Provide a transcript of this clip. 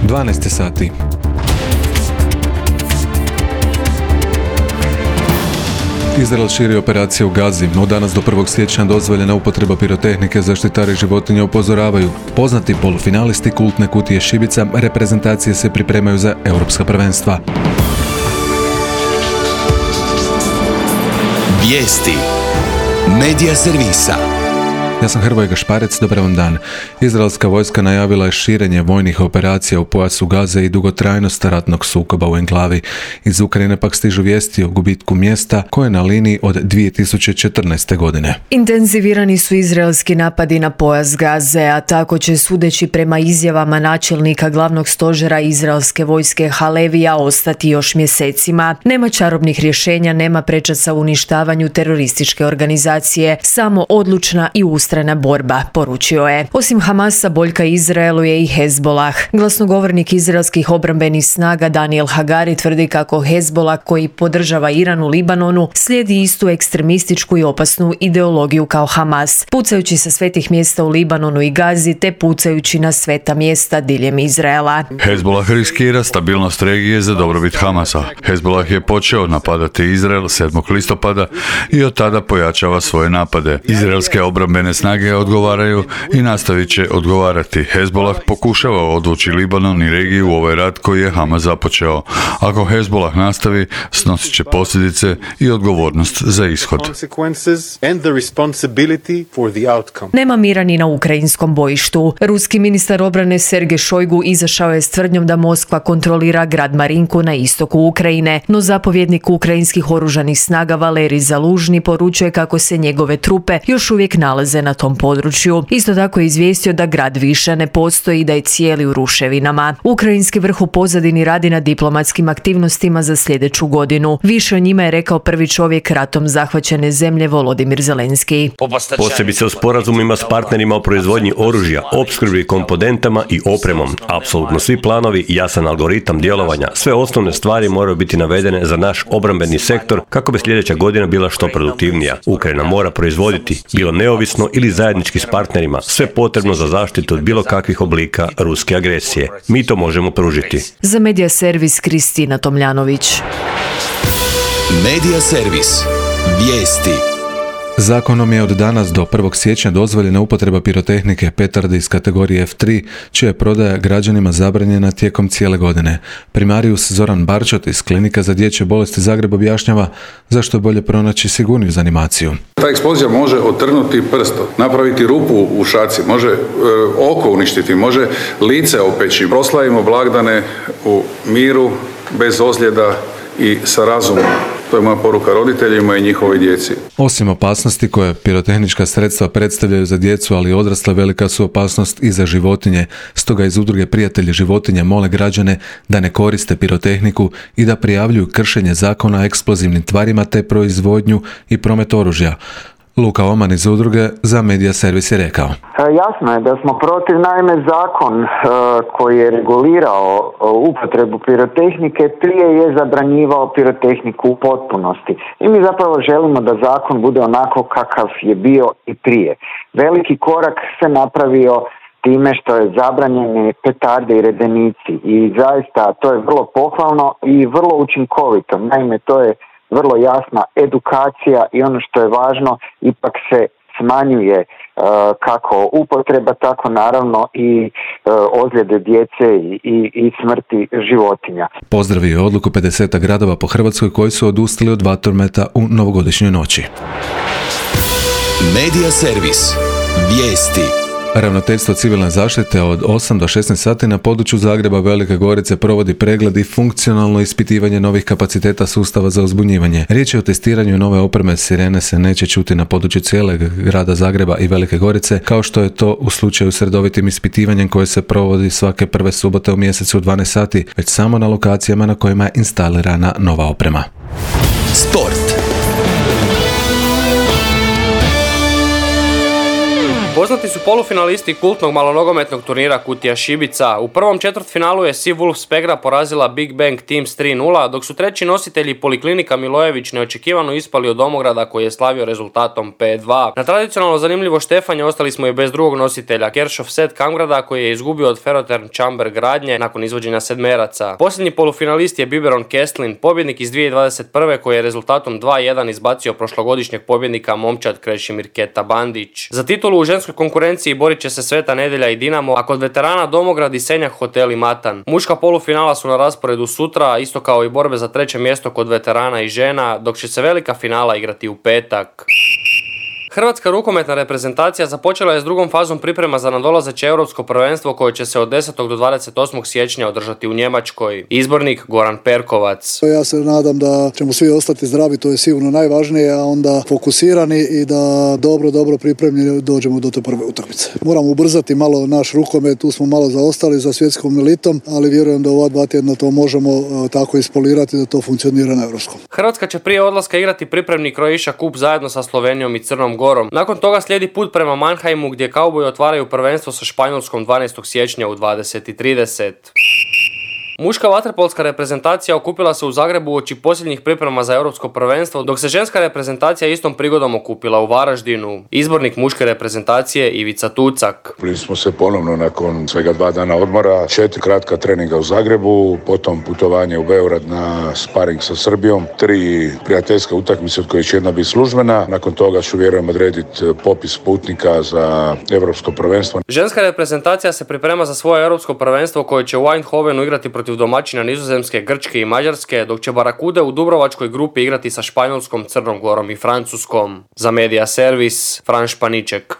12 sati. Izrael širi operacije u Gazi, no danas do 1. siječnja dozvoljena upotreba pirotehnike. Zaštitari životinja upozoravaju. Poznati polufinalisti kultne kutije šibica reprezentacije se pripremaju za europska prvenstva. Vijesti Medija servisa. Ja sam Hrvoje Gašparec, dobar vam dan. Izraelska vojska najavila je širenje vojnih operacija u pojasu Gaze i dugotrajnost ratnog sukoba u enklavi. Iz Ukrajine pak stižu vijesti o gubitku mjesta koje je na liniji od 2014. godine. Intenzivirani su izraelski napadi na pojas Gaze, a tako će, sudeći prema izjavama načelnika glavnog stožera izraelske vojske Halevija, ostati još mjesecima. Nema čarobnih rješenja, nema prečaca u uništavanju terorističke organizacije, samo odlučna i ustrajna borba, poručio je. Osim Hamasa, boljka Izraelu je i Hezbolah. Glasnogovornik izraelskih obrambenih snaga Daniel Hagari tvrdi kako Hezbolah, koji podržava Iran u Libanonu, slijedi istu ekstremističku i opasnu ideologiju kao Hamas, pucajući sa svetih mjesta u Libanonu i Gazi te pucajući na sveta mjesta diljem Izraela. Hezbolah riskira stabilnost regije za dobrobit Hamasa. Hezbolah je počeo napadati Izrael 7. listopada i od tada pojačava svoje napade. Izraelske obrambene snage odgovaraju i nastavit će odgovarati. Hezbolah pokušava odvući Libanon i regiju u ovaj rat koji je Hamas započeo. Ako Hezbolah nastavi, snosit će posljedice i odgovornost za ishod. Nema mira ni na ukrajinskom bojištu. Ruski ministar obrane Sergej Šojgu izašao je s tvrdnjom da Moskva kontrolira grad Marinku na istoku Ukrajine, no zapovjednik ukrajinskih oružanih snaga Valerij Zalužni poručuje kako se njegove trupe još uvijek nalaze na tom području. Isto tako je izvijestio da grad više ne postoji i da je cijeli u ruševinama. Ukrajinski vrh u pozadini radi na diplomatskim aktivnostima za sljedeću godinu. Više o njima je rekao prvi čovjek ratom zahvaćene zemlje Volodimir Zelenski. Posebice u sporazumima s partnerima o proizvodnji oružja, opskrbi komponentama i opremom. Apsolutno svi planovi, jasan algoritam djelovanja, sve osnovne stvari moraju biti navedene za naš obrambeni sektor kako bi sljedeća godina bila što produktivnija. Ukrajina mora proizvoditi, bilo neovisno ili zajednički s partnerima, sve potrebno za zaštitu od bilo kakvih oblika ruske agresije. Mi to možemo pružiti. Za Medija servis Kristina Tomljanović. Medija servis. Vijesti. Zakonom je od danas do 1. siječnja dozvoljena upotreba pirotehnike petarde iz kategorije F3, čija je prodaja građanima zabranjena tijekom cijele godine. Primarius Zoran Barčot iz Klinika za dječje bolesti Zagreb objašnjava zašto je bolje pronaći sigurniju za animaciju. Ta eksplozija može otrnuti prsto, napraviti rupu u šaci, može oko uništiti, može lice opeći. Proslavimo blagdane u miru, bez ozljeda i sa razumom. To je moja poruka roditeljima i njihovoj djeci. Osim opasnosti koje pirotehnička sredstva predstavljaju za djecu, ali i odrasle, velika su opasnost i za životinje. Stoga iz udruge Prijatelji životinja mole građane da ne koriste pirotehniku i da prijavljuju kršenje zakona o eksplozivnim tvarima te proizvodnju i promet oružja. Luka Oman iz udruge za Medija servis je rekao. Jasno je da smo protiv, naime zakon koji je regulirao upotrebu pirotehnike prije je zabranjivao pirotehniku u potpunosti. I mi zapravo želimo da zakon bude onako kakav je bio i prije. Veliki korak se napravio time što je zabranjene petarde i redenici i zaista to je vrlo pohvalno i vrlo učinkovito. Naime, to je vrlo jasna edukacija i ono što je važno, ipak se smanjuje kako upotreba, tako naravno i ozljede djece i smrti životinja. Pozdravio je odluku 50 gradova po Hrvatskoj koji su odustali od vatrometa u novogodišnjoj noći. Medija servis. Vijesti. Ravnateljstvo civilne zaštite od 8 do 16 sati na području Zagreba, Velike Gorice provodi pregled i funkcionalno ispitivanje novih kapaciteta sustava za uzbunjivanje. Riječ je o testiranju nove opreme. Sirene se neće čuti na području cijelog grada Zagreba i Velike Gorice, kao što je to u slučaju s redovitim ispitivanjem koje se provodi svake prve subote u mjesecu u 12 sati, već samo na lokacijama na kojima je instalirana nova oprema. Sport. Poznati su polufinalisti kultnog malonogometnog turnira Kutija Šibica. U prvom četvrtfinalu je Sea Wolves Pegra porazila Big Bang Teams 3-0, dok su treći nositelji Poliklinika Milojević neočekivano ispali od Domograda koji je slavio rezultatom 5-2. Na tradicionalno zanimljivo štefanje ostali smo i bez drugog nositelja, Kershov Set Kamgrada koji je izgubio od Ferotern Chamber Gradnje nakon izvođenja sedmeraca. Posljednji polufinalist je Biberon Kestlin, pobjednik iz 2021. koji je rezultatom 2-1 izbacio prošlogodišnjeg pobjednika momčad Krešimir Keta Bandić. Za titulu u ženskoj konkurenciji borit će se Sveta Nedjelja i Dinamo, a kod veterana Domograd i Senjak Hotel i Matan. Muška polufinala su na rasporedu sutra, isto kao i borbe za treće mjesto kod veterana i žena, dok će se velika finala igrati u petak. Hrvatska rukometna reprezentacija započela je s drugom fazom priprema za nadolazeće europsko prvenstvo koje će se od 10. do 28. siječnja održati u Njemačkoj. Izbornik Goran Perkovac. Ja se nadam da ćemo svi ostati zdravi, to je sigurno najvažnije, a onda fokusirani i da dobro pripremljeni dođemo do te prve utakmice. Moramo ubrzati malo naš rukomet, tu smo malo zaostali za svjetskom elitom, ali vjerujem da ova 2 tjedna to možemo tako ispolirati da to funkcionira na europskom. Hrvatska će prije odlaska igrati pripremni Croatia Cup zajedno sa Slovenijom i Crnom Gorom. Nakon toga slijedi put prema Mannheimu gdje kauboji otvaraju prvenstvo sa Španjolskom 12. siječnja u 20:30. Muška vaterpolska reprezentacija okupila se u Zagrebu uoči posljednjih priprema za europsko prvenstvo, dok se ženska reprezentacija istom prigodom okupila u Varaždinu. Izbornik muške reprezentacije Ivica Tucak. Bili smo se ponovno nakon svega 2 dana odmora, 4 kratka treninga u Zagrebu, potom putovanje u Beograd na sparing sa Srbijom, 3 prijateljske utakmice od kojih će jedna biti službena. Nakon toga ću vjerujem odrediti popis putnika za europsko prvenstvo. Ženska reprezentacija se priprema za svoje europsko prvenstvo koje će u Eindhovenu igrati protiv domaćina Nizozemske, Grčke i Mađarske, dok će Barakude u Dubrovačkoj grupi igrati sa Španjolskom, Crnom Gorom i Francuskom. Za Media Servis, Fran Španiček.